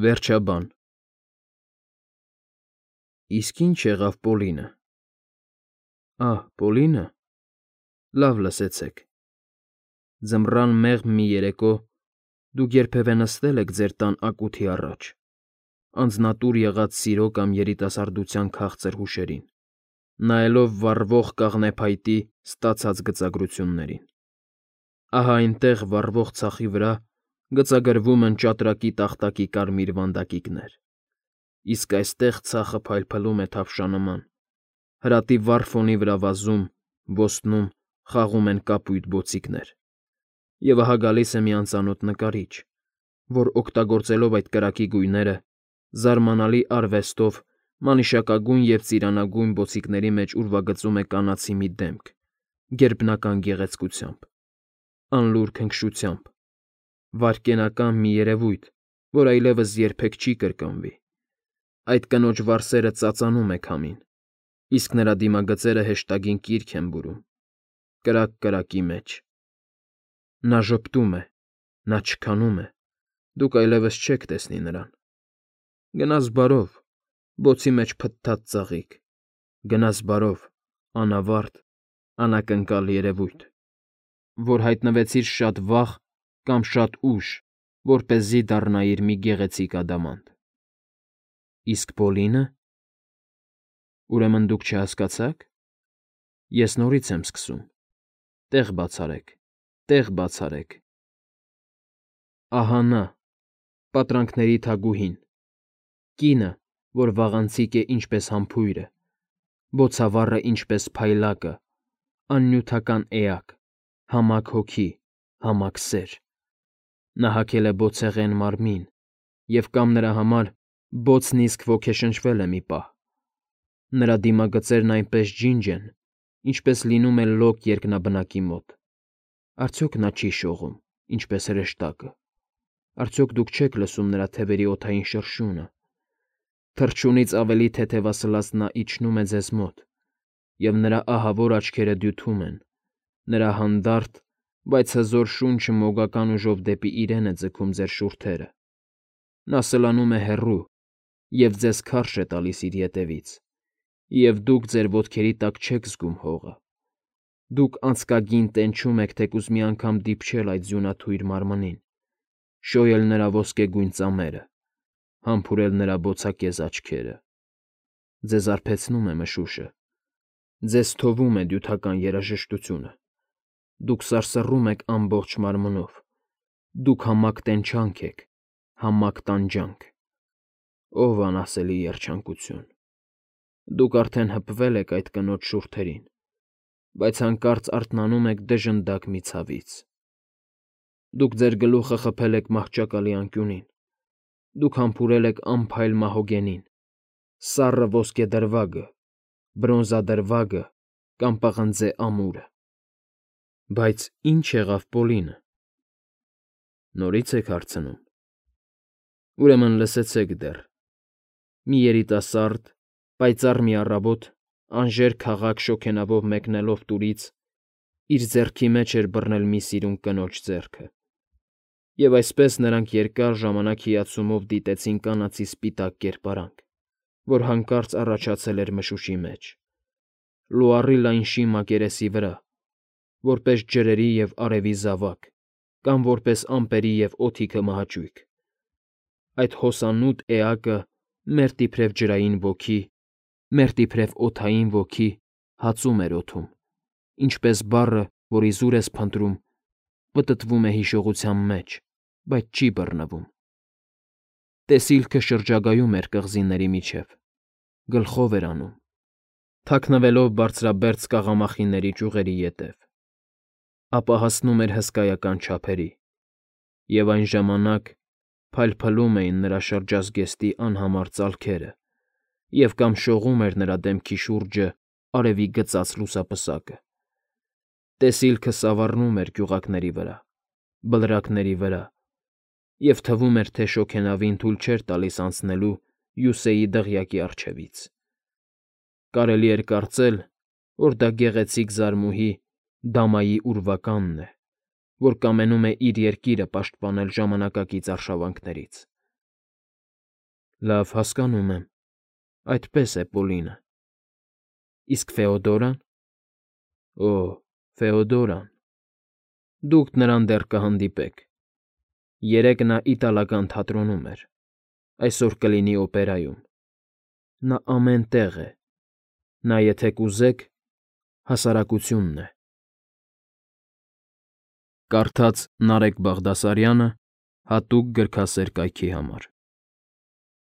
Վերջաբան։ Իսկ ինչ եղավ Պոլինը։ Պոլինը։ Լավ լսեցեք։ Ձմռան մեղմ մի երեկո դուք երբևէ նստել եք ձեր տան ակութի առաջ, անձնատուր եղած սիրո կամ երիտասարդության քաղցր հուշերին, նայելով վառվող կաղնեփայտի ստացած գծագրություններին։ Ահա այնտեղ վառվող ցախի վրա գծագրվում են ճատրակի տախտակի կարմիր վանդակիկներ, իսկ այստեղ ցախը փայլփլում է թավշանման, հրատի վառ ֆոնի վրա վազում, ոսնում, խաղում են կապույտ բոցիկներ։ Եվ ահա գալիս է մի անծանոթ նկարիչ, որ, օգտագործելով այդ կրակի գույները, զարմանալի արվեստով մանիշակագույն և ծիրանագույն բոցիկների մեջ ուրվագծում է կանացի մի դեմք, գերբնական գեղեցկությամբ, անլուր քնքշությամբ, վայրկենական մի երևույթ, որ այլևս երբեք չի կրկնվի։ Այդ կնոջ վարսերը ծածանում է քամին, իսկ նրա դիմագծերը հեշտագին կիրք են բուրում, կրակ կրակի մեջ։ Նա ժպտում է, նա չքանում է, դուք այլևս չեք տեսնի նրան։ Գնաս բարով, բոցի մեջ փթթած ծաղիկ, գնաս բարով, անավարտ, անակնկալ երևույթ, որ հայտնվեցիր շատ վաղ կամ շատ ուշ, որպեսզի դառնայիր մի գեղեցիկ ադամանդ։ Իսկ Պոլինը։ Ուրեմն դուք չհասկացաք։ Ես նորից եմ սկսում։ Տեղ բացարեք, տեղ բացարեք։ Ահա նա, պատրանքների թագուհին, կինը, որ վաղանցիկ է ինչպես համբույրը, բոցավառը ինչպես փայլակը, աննյութական էակ, համակ հոգի, համակ սեր։ Նա հագել է բոցեղեն մարմին, և կամ նրա համար բոցն իսկ ոգեշնչվել է մի պահ։ Նրա դիմագծերն այնպես ջինջ են, ինչպես լինում է լոկ երկնաբնակի մոտ։ Արդյոք նա չի շողում, ինչպես հրեշտակը։ Արդյոք դուք չեք լսում նրա թևերի օդային շրշյունը։ Թռչունից ավելի թեթևասլաց նա իջնում է ձեզ մոտ, և նրա ահավոր աչքերը դյութում են, նրա հանդարտ, բայց հզոր շունչը մոգական ուժով դեպի իրեն է ձգում ձեր շուրթերը։ Նա սլանում է հեռու և ձեզ քարշ է տալիս իր ետևից, և դուք ձեր ոտքերի տակ չեք զգում հողը։ Դուք անցկագին տենչում եք թեկուզ մի անգամ դիպչել այդ ձյունաթույր մարմնին, շոյել նրա ոսկեգույն ծամերը, համբուրել նրա բոցակեզ աչքերը։ Ձեզ արբեցնում է մշուշը, ձեզ թովում է դյութական երաժշտությունը, դուք սարսռում եք ամբողջ մարմնով, դուք համակ տենչանք եք, համակ տանջանք։ Ով անասելի երջանկություն։ Դուք արդեն հպվել եք այդ կնոջ շուրթերին, բայց հանկարծ արթնանում եք դժնդակ մի ցավից։ Դուք ձեր գլուխը խփել եք մահճակալի անկյունին, դուք համբուրել եք անփայլ մահոգենին, սառը ոսկեդրվագը, բրոնզադրվագը կամ պղնձե ամուրը։ Բայց ինչ եղավ Պոլինը։ Նորից եք հարցնում։ Ուրեմն լսեցեք դեռ։ Մի երիտասարդ, պայծառ մի առավոտ, անժեր քաղաք շոգենավով մեկնելով տուրից, իր ձեռքի մեջ էր բռնել մի սիրուն կնոջ ձեռքը։ Եվ այսպես նրանք երկար ժամանակ հիացումով դիտեցին կանացի սպիտակ կերպարանք, որ հանկարծ առաջացել էր մշուշի մեջ, լուառի լայն շի մակերեսի վրա, որպես ջրերի և արևի զավակ կամ որպես ամպերի և օդի քմահաճույք։ Այդ հոսանոտ էակը մերթ իբրև ջրային ոգի, մերթ իբրև օդային ոգի հածում էր օդում, ինչպես բառը, որ իզուր ես փնտրում, պտտվում է հիշողության մեջ, բայց չի բռնվում։ Տեսիլքը շրջագայում էր կղզիների միջև, գլխով էր անում, թաքնվելով բարձրաբերձ կաղամախիների ճյուղերի ետև, ապա հասնում էր հսկայական չափերի, և այն ժամանակ փայլփլում էին նրա շրջազգեստի անհամար ծալքերը և կամ շողում էր նրա դեմքի շուրջը արևի գծած լուսապսակը։ Տեսիլքը սավառնում էր գյուղակների վրա, բլրակների վրա, և թվում էր, թե շոգենավին թույլ չէր տալիս անցնելու Յուսեի դղյակի առջևից։ Կարելի էր կարծել, որ դա գեղեցիկ զարմուհի Դամայի ուրվականն է, որ կամենում է իր երկիրը պաշտպանել ժամանակակից արշավանքներից։ Լավ, հասկանում եմ։ Այդպես է, Պոլինը։ Իսկ Ֆեոդորան։ Օ, Ֆեոդորան։ Դուք նրան դեռ կհանդիպեք։ Երեկ նա իտալական թատրոնում էր, այսօր կլինի օպերայում։ Նա ամեն տեղ է։ Նա, եթե կուզեք, հասարակությունն է։ Կարդաց Նարեկ Բաղդասարյանը հատուկ գրքասեր կայքի համար։